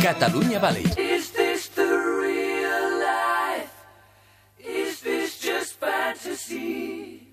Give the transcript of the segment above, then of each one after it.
Catalunya Valley. Is this the real life? Is this just fantasy?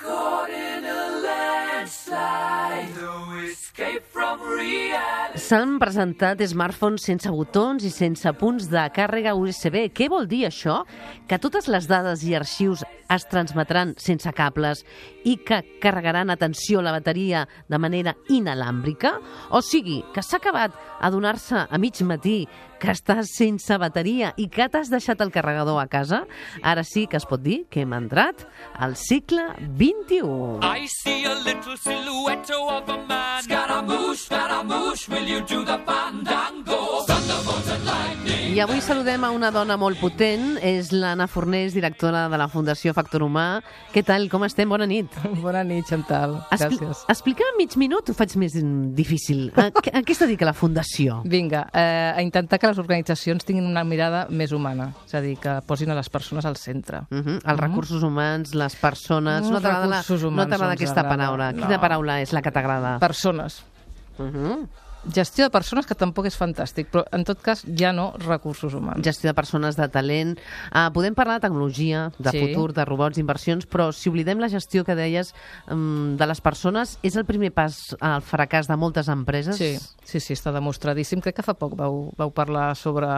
Caught in a landslide, no escape from reality. S'han presentat smartphones sense botons i sense punts de càrrega USB. Què vol dir això? Que totes les dades i arxius es transmetran sense cables i que carregaran, atenció, la bateria de manera inalàmbrica? O sigui, que s'ha acabat adonar-se a mig matí que estàs sense bateria i que t'has deixat el carregador a casa? Ara sí que es pot dir que hem entrat al segle XXI. I see a little silhouette of a man. Scaramouche, will you do the fandango? Thunderbolts and lightning. I avui saludem a una dona molt potent, és l'Anna Fornés, directora de la Fundació Factor Humà. Què tal, com estem? Bona nit. Bona nit, Chantal. Gràcies. Explica'm mig minut, ho faig més difícil. A què es dedica la Fundació? Vinga, a intentar que les organitzacions tinguin una mirada més humana, és a dir, que posin a les persones al centre. Els recursos humans, les persones... No t'agrada aquesta paraula. Quina paraula és la que t'agrada? Persones. Gestió de persones, que tampoc és fantàstic, però en tot cas ja no recursos humans. Gestió de persones, de talent. Podem parlar de tecnologia, de futur, de robots, d'inversions, però si oblidem la gestió que deies de les persones, és el primer pas al fracàs de moltes empreses? Sí, està demostradíssim. Crec que fa poc vau parlar sobre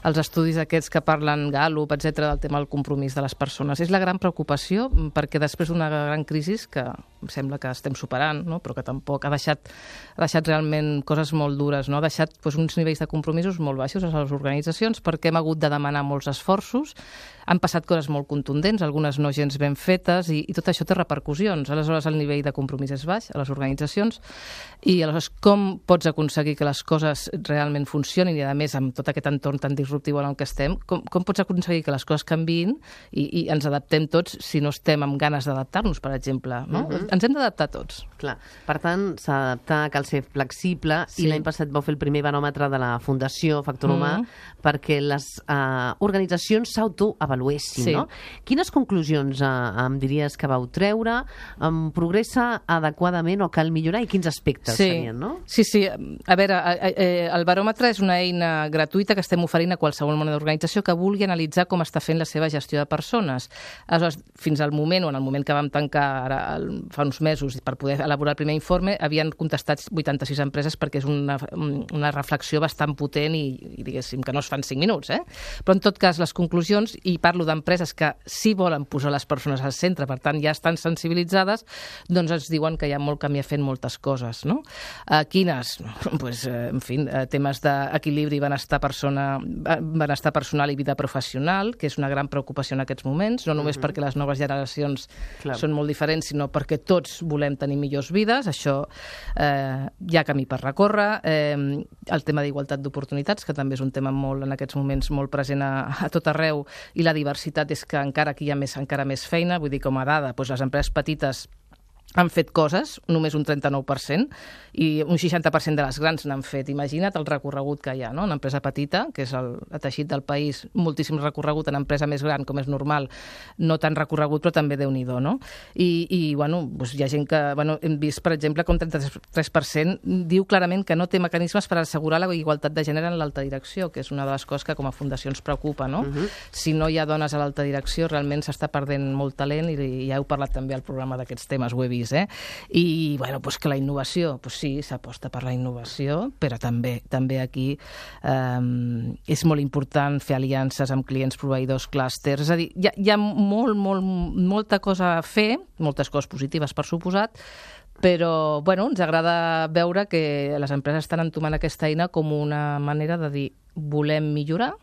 els estudis aquests que parlen Gallup, etc., del tema del compromís de les persones. És la gran preocupació, perquè després d'una gran crisi que em sembla que estem superant, no? Però que tampoc ha deixat realment coses molt dures, no? Ha deixat uns nivells de compromisos molt baixos a les organitzacions perquè hem hagut de demanar molts esforços, han passat coses molt contundents, algunes no gens ben fetes, i tot això té repercussions. Aleshores, el nivell de compromís és baix a les organitzacions, i aleshores com pots aconseguir que les coses realment funcionin, i a més amb tot aquest entorn tan disruptiu en el que estem, com pots aconseguir que les coses canviïn i ens adaptem tots si no estem amb ganes d'adaptar-nos, per exemple, no? Ens hem d'adaptar tots. Clar. Per tant, s'ha d'adaptar, cal ser flexible, i l'any passat vau fer el primer baròmetre de la Fundació Factor Humà perquè les organitzacions s'autoavaluessin, no? Quines conclusions em diries que vau treure? Progressa adequadament o cal millorar, i quins aspectes serien, no? Sí. A veure, el baròmetre és una eina gratuïta que estem oferint a qualsevol mena d'organització que vulgui analitzar com està fent la seva gestió de persones. Aleshores, fins al moment, o en el moment que vam tancar ara, fa uns mesos, per poder elaborar el primer informe, havien contestat 86 empreses, perquè és una reflexió bastant potent i diguéssim que no es fan 5 minuts, Però en tot cas, les conclusions, i parlo d'empreses que sí volen posar les persones al centre, per tant ja estan sensibilitzades, doncs ens diuen que hi ha molt camí a fer en moltes coses, no? Quines? En fi, temes d'equilibri, benestar personal i vida professional, que és una gran preocupació en aquests moments, no només perquè les noves generacions són molt diferents, sinó perquè tots volem tenir millors vides. Això hi ha camí per recórrer. El tema d'igualtat d'oportunitats, que també és un tema en aquests moments molt present a tot arreu, i la diversitat és que encara aquí hi ha encara més feina. Vull dir, com a dada, les empreses petites han fet coses, només un 39%, i un 60% de les grans n'han fet. Imagina't el recorregut que hi ha, no? Una empresa petita, que és el teixit del país, moltíssim recorregut. En empresa més gran, com és normal, no tan recorregut, però també Déu-n'hi-do, no? I hi ha gent que... Hem vist, per exemple, que un 33% diu clarament que no té mecanismes per assegurar la igualtat de gènere en l'alta direcció, que és una de les coses que com a fundació ens preocupa, no? Si no hi ha dones a l'alta direcció, realment s'està perdent molt talent, i ja heu parlat també al programa d'aquests temes, ho he vist, I, que la innovació, sí, s'aposta per la innovació, però també aquí és molt important fer aliances amb clients, proveïdors, clústers. És a dir, hi ha molta cosa a fer, moltes coses positives, per suposat, però, ens agrada veure que les empreses estan entomant aquesta eina com una manera de dir volem millorar,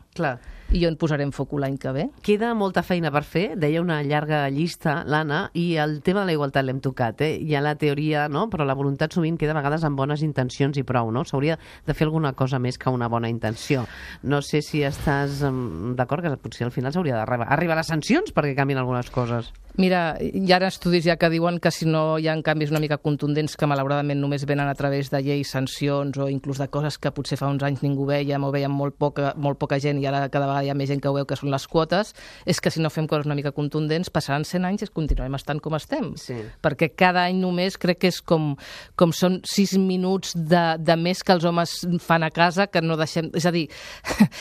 i on posarem foc l'any que ve. Queda molta feina per fer, deia una llarga llista, l'Anna, i el tema de la igualtat l'hem tocat, Hi ha la teoria, no? Però la voluntat sovint queda a vegades amb bones intencions i prou, no? S'hauria de fer alguna cosa més que una bona intenció. No sé si estàs d'acord que potser al final s'hauria d'arribar a les sancions perquè canvien algunes coses. Mira, hi ha estudis ja que diuen que si no hi ha canvis una mica contundents, que malauradament només venen a través de lleis, sancions, o inclús de coses que potser fa uns anys ningú veiem o veiem molt poca gent, i ara cada vegada hi ha més gent que ho veu, que són les quotes, és que si no fem coses una mica contundents, passaran 100 anys i continuem estant com estem. Sí. Perquè cada any només crec que és com són 6 minuts de més que els homes fan a casa, que no deixem... És a dir...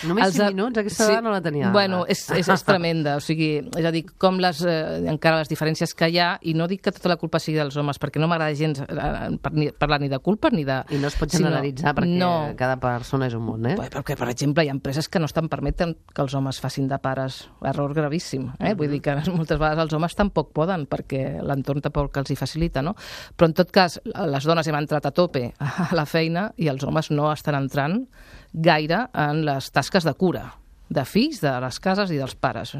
Només 6 minuts? Aquesta dada no la tenia. Bueno, és tremenda. O sigui, és a dir, com encara les diferències que hi ha, i no dic que tota la culpa sigui dels homes, perquè no m'agrada gens parlar ni de culpa ni de... I no es pot generalitzar, perquè cada persona és un món, eh? Perquè, per exemple, hi ha empreses que no estan permeten que els homes facin de pares. Error gravíssim. Vull dir que moltes vegades els homes tampoc poden, perquè l'entorn tampoc els hi facilita, no? Però, en tot cas, les dones hem entrat a tope a la feina i els homes no estan entrant gaire en les tasques de cura de fills, de les cases i dels pares.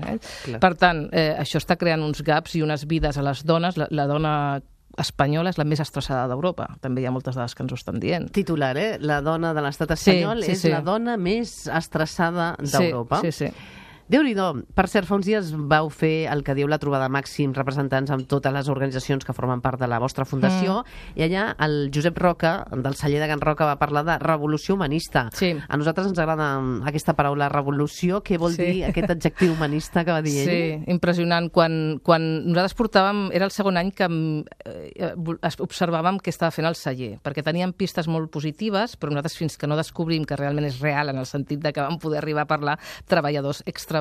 Per tant, això està creant uns gaps i unes vides a les dones. La dona espanyola és la més estressada d'Europa. També hi ha moltes dades que ens ho estan dient. Titular, la dona de l'estat espanyol és la dona més estressada d'Europa. Sí. Déu-n'hi-do. Per cert, fa uns dies vau fer el que diu la trobada màxims representants amb totes les organitzacions que formen part de la vostra fundació, i allà el Josep Roca, del celler de Can Roca, va parlar de revolució humanista. Sí. A nosaltres ens agrada aquesta paraula revolució. Què vol dir aquest adjectiu humanista que va dir ell? Sí, impressionant. Quan nosaltres portàvem... Era el segon any que observàvem què estava fent el celler, perquè teníem pistes molt positives, però nosaltres fins que no descobrim que realment és real, en el sentit de que vam poder arribar a parlar treballadors, extreballadors,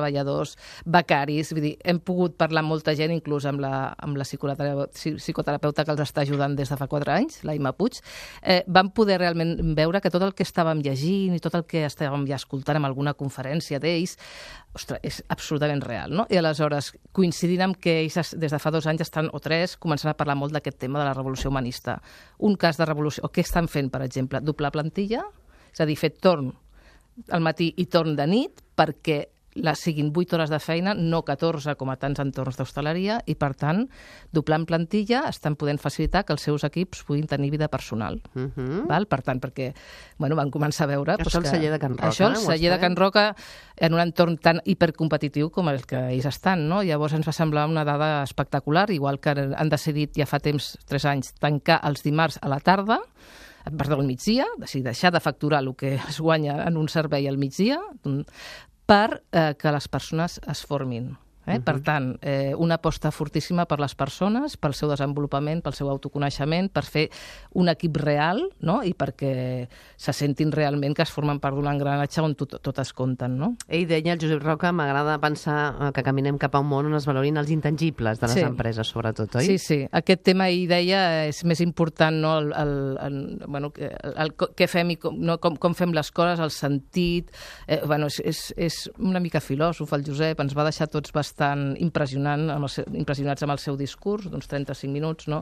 becaris, vull dir, hem pogut parlar amb molta gent, inclús amb la psicoterapeuta que els està ajudant des de fa 4 anys, la Imma Puig, vam poder realment veure que tot el que estàvem llegint i tot el que estàvem ja escoltant en alguna conferència d'ells, ostres, és absolutament real, no? I aleshores, coincidint amb que ells des de fa 2 anys estan, o 3, començant a parlar molt d'aquest tema de la revolució humanista. Un cas de revolució, o què estan fent, per exemple? Doblar plantilla, és a dir, fer torn al matí i torn de nit, perquè siguin 8 hores de feina, no 14 com a tants entorns d'hostaleria, i per tant, doblant plantilla, estan podent facilitar que els seus equips puguin tenir vida personal. Val? Per tant, perquè van començar a veure... Això el celler de Can Roca. Això el celler de Can Roca, en un entorn tan hipercompetitiu com el que ells estan, no? Llavors ens va semblar una dada espectacular, igual que han decidit ja fa temps, 3 anys, tancar els dimarts a la tarda, al migdia, deixar de facturar el que es guanya en un servei al migdia, per que les persones es formin. Per tant, una aposta fortíssima per les persones, pel seu desenvolupament, pel seu autoconeixement, per fer un equip real, no? I perquè se sentin realment que es formen part d'un engranatge on totes compten, no? Ell deia, el Josep Roca, m'agrada pensar que caminem cap a un món on es valorin els intangibles de les empreses, sobretot, oi? Sí. Aquest tema, ell deia, és més important, no? Què fem i com fem les coses, el sentit... És una mica filòsof, el Josep, ens va deixar tots bastant impressionats amb el seu discurs, d'uns 35 minuts, no?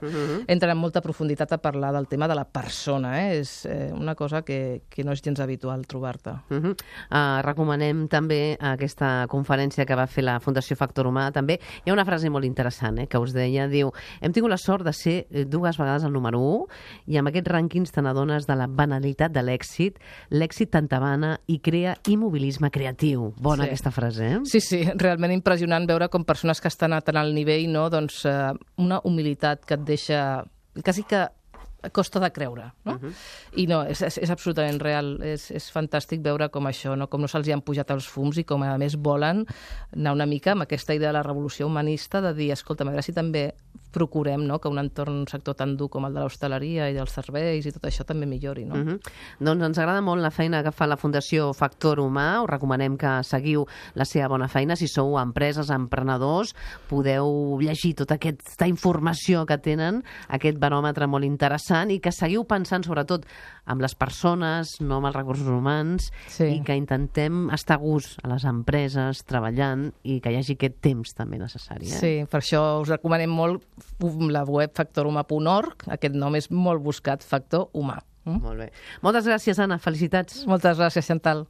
Entra en molta profunditat a parlar del tema de la persona, és una cosa que no és gens habitual trobar-te. Recomanem també aquesta conferència que va fer la Fundació Factor Humà, també. Hi ha una frase molt interessant que us deia, diu, hem tingut la sort de ser 2 vegades el número 1 i amb aquests rànquings te n'adones de la banalitat de l'èxit. L'èxit t'entabana i crea immobilisme creatiu. Bona aquesta frase, eh? Sí, realment impressionant veure com persones que estan a tan alt nivell, no? Doncs una humilitat que et deixa quasi que costa de creure, no? I no, és absolutament real, és fantàstic veure com això, no? Com no se'ls han pujat els fums i com a més volen anar una mica amb aquesta idea de la revolució humanista, de dir, escolta, a veure si també procurem, no?, que un entorn, un sector tan dur com el de l'hostaleria i dels serveis i tot això també millori, no? Doncs ens agrada molt la feina que fa la Fundació Factor Humà, us recomanem que seguiu la seva bona feina, si sou empreses, emprenedors, podeu llegir tota aquesta informació que tenen, aquest baròmetre molt interessant, i que seguiu pensant sobretot amb les persones, no amb els recursos humans, i que intentem estar a gust a les empreses, treballant, i que hi hagi aquest temps també necessari. Sí, per això us recomanem molt la web factorhumà.org, aquest nom és molt buscat, Factor Humà. Molt bé. Moltes gràcies, Anna. Felicitats. Moltes gràcies, Chantal.